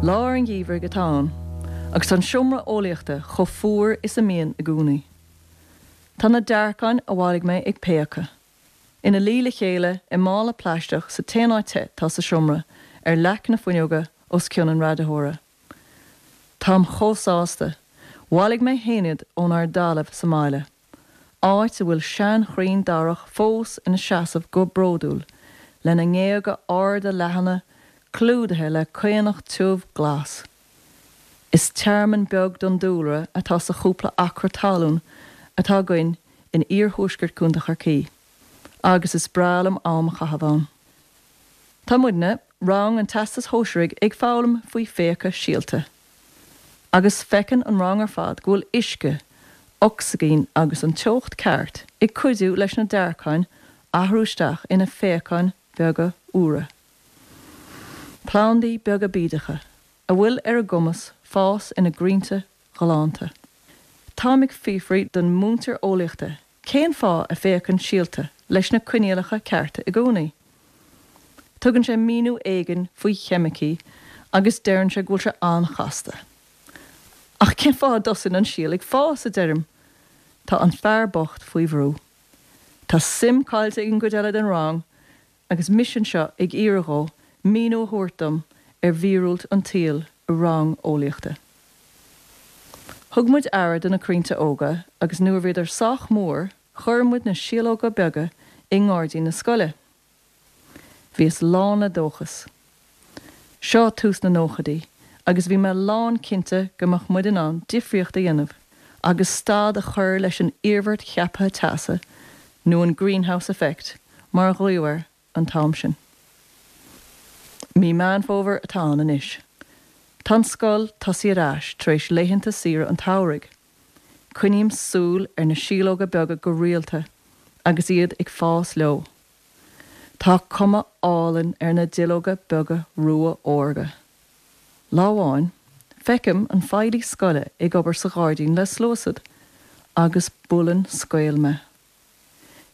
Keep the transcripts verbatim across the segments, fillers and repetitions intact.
Lár an gheimhridh atá ann, agus an seomra eolaíochta chomh fuar is a mbíonn i gcónaí. Tá na dearcáin a bhailigh mé ag péacadh. Ina luí le chéile i mála plaisteach sa t-aon áit te atá sa seomra ar leac na fuinneoige os cionn an raiditheora. Táim chomh sásta, bhailigh mé féin iad ónár dtalamh sa mbaile. Áit a bhfuil seanchrainn darach fós ina seasamh go bródúil, lena ngéaga arda leathana clúdaithe le caonach tiubh glas. Is tearmann beag don dúlra atá sa chúpla acra talún atá againn in iarthuaisceart Chontae Chorcaí, agus is breá liom am a chaitheamh ann. Tá muidne rang an Teastais Shóisearaigh ag foghlaim faoi phéacadh síolta. Agus feiceann an rang ar fad go bhfuil uisce, ocsaigin agus an teocht ceart ag cuidiú leis na dearcáin athrú isteach ina phéacáin bheaga úra. Plandaí beaga bídeacha, a bhfuil ar a gcumas fás ina gcrainnte galánta. Táim ag fiafraí den mhúinteoir eolaíochta cén fáth a bpéacann síolta leis na coinníollacha cearta i gcónaí. Tugann sé míniú éigin faoi cheimicí agus deireann sé go bhfuil sé an-chasta. Ach cén fáth a dtosaíonn an síol ag fás a deirim, Tá an fear bocht faoi bhrú. Tá suim caillte ag an gcuid eile den rang agus mise anseo ag iarraidh dó míniú a thabhairt dom ar mhíorúilt an tsaoil i rang eolaíochta. Thug muid aire do na crainnte óga agus nuair a bhíodar sách mór chuir muid na síológa beaga i ngairdín na scoile. Bhíos lán le dóchas. Seo tús na nóchaidí, agus bhí mé lán cinnte go mbeadh muid in ann difríocht a dhéanamh agus stad a chur leis an iarmhairt cheaptha teasa nó an greenhouse effect mar a glaodh air an t-am sin. Mí Meán Fómhair atá ann anois. Tá an scoil tosaithe ar ais tar éis laethanta saoire an tsamhraidh. Coinním súil ar na síológa beaga go rialta agus iad ag fás leo. Tá cuma álainn ar na duilleoga beaga rua órga. Lá amháin, feicim an feighlí scoile ag obair sa ghairdín le sluasaid, agus buaileann scaoll mé.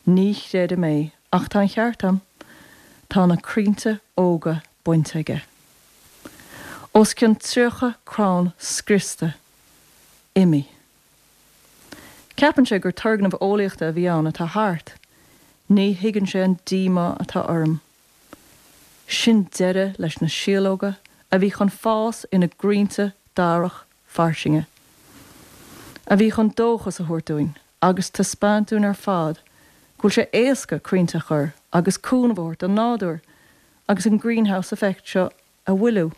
Ní chreidim é ach tá an ceart agam, tá na crainnte óga bainte aige. Os cionn tríocha crann scriosta, imithe. Ceapann sé gur turgnamh eolaíochta a bhí ann atá thart. Ní thuigeann sé an díomá atá orm. Sin deireadh leis na síológa a bhí chun fás ina gcrainnte darach fairsinge. A bhí chun dóchas a thabhairt dúinn agus taispeáint dúinn ar fad go bhfuil sé éasca crainnte a chur agus cúnamh a thabhairt don nádúr agus an greenhouse effect seo a mhoilliú.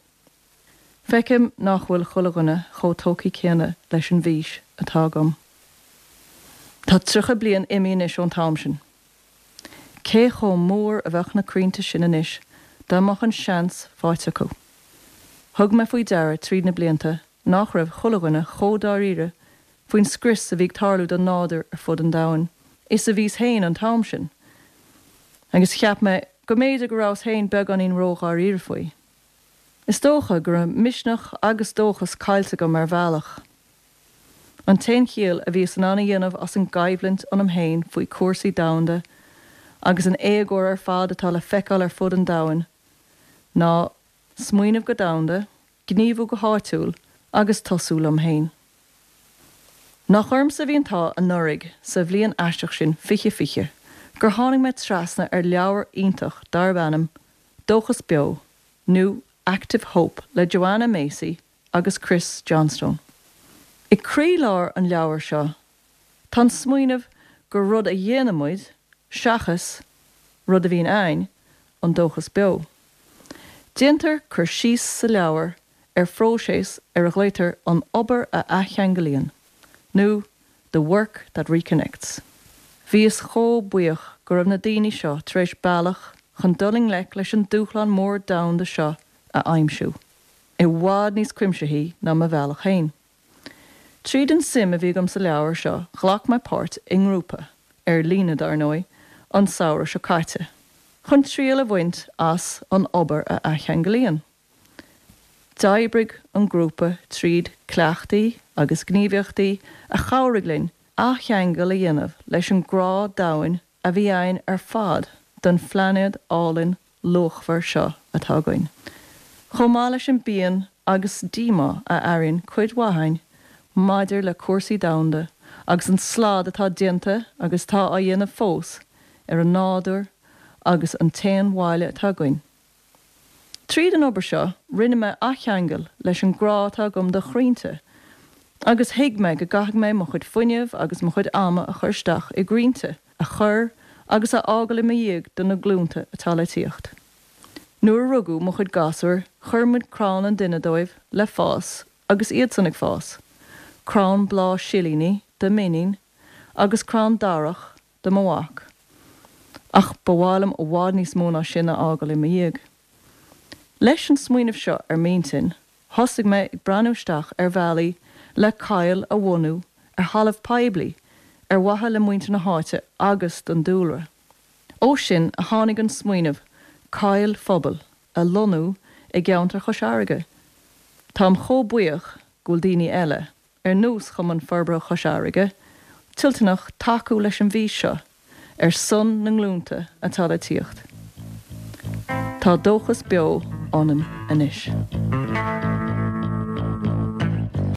Feicim nach bhfuil chuile dhuine chomh tógtha céanna leis an bhfís atá agam. Tá tríocha bliain imithe anois ón t-am sin. Cé chomh mór a bheadh na crainnte sin anois dá mbeadh an seans faighte acu. Thug mé faoi deara tríd na blianta nach raibh chuile dhuine chomh dáiríre faoin scrios a bhí ag tarlú don nádúr ar fud an domhain, is a bhíos féin an t-am sin. Agus cheap mé go mb'fhéidir go rabhas féin beagáinín ródháiríre faoi. Is dócha go raibh misneach agus dóchas caillte agam ar bhealach. An t-aon chiall a bhíos in ann a dhéanamh as an gcoimhlint ionam féin faoi chúrsaí domhanda agus an éagóir ar fad atá le feiceáil ar fud an domhain ná smaoineamh go domhanda, gníomhú go háitiúil agus tosú liom féin. Nach ormsa a bhí an t-ádh anuraidh sa bhliain aisteach sin fiche fiche gur tháinig mé trasna ar leabhar iontach darb ainm Dóchas Beo nó Active Hope le Joanna Macy agus Chris Johnstone. I gcroílár an leabhair seo tá an smaoineamh gur rud a dhéanann muid seachas rud a bhíonn againn an dóchas beo. Déantar cur síos sa leabhar ar phróiseas ar a nglaotar an obair a athcheanglaíonn, nó the work that reconnects. Bhíos chomh buíoch go raibh na daoine seo tar éis bealach chun dul i ngleic leis an dúshlán mór domhanda seo a aimsiú, i bhfad níos cuimsithí ná mo bhealach féin. Tríd an suim a bhí agam sa leabhar seo ghlac mé páirt i ngrúpa, ar líne dar ndóigh, an samhradh seo caite, chun triail a bhaint as an obair a athcheanglaíonn. D'oibrigh an grúpa tríd cleachtaí agus gníomhaíochtaí a chabhraigh linn athcheangal a dhéanamh leis an grá domhain a bhí againn ar fad don phláinéad álainn luachmhar seo atá againn. Chomh maith leis an bpian agus díomá a airíonn cuid mhaith againn maidir le cúrsaí domhanda agus an slad atá déanta agus atá á dhéanamh fós ar an nádúr agus an t-aon bhaile atá againn. Tríd an obair seo, rinne mé athcheangal leis an grá atá agam do chrainnte, agus thuig mé go gcaithfidh mé mo chuid fuinnimh agus mo chuid ama a chur isteach i gcrainnte a chur agus a fhágáil i mo dhiaidh do na glúnta atá le tíocht. Nuair a rugadh mo chuid gasúr, chuir muid crann an duine dóibh le fás agus iadsan ag fás, crann bláth silíní do m'iníon agus crann darach do mo mhac. Ach ba mhaith liom i bhfad níos mó ná sin a fhágáil i mo dhiaidh. Leis an smaoineamh seo ar m'intinn, thosaigh mé ag breathnú isteach ar bhealaí le coill a bhunú ar thalamh poiblí ar mhaithe le muintir na háite agus don dúlra. Ó sin a tháinig an smaoineamh coill phobail a lonnú i gceantar Chois Fharraige. Táim chomh buíoch go bhfuil daoine eile, ar nós Chumann Forbartha Chois Fharraige, toilteanach tacú leis an bhfís seo ar son na nglúnta atá le tíocht. Tá dóchas beo ionam anois.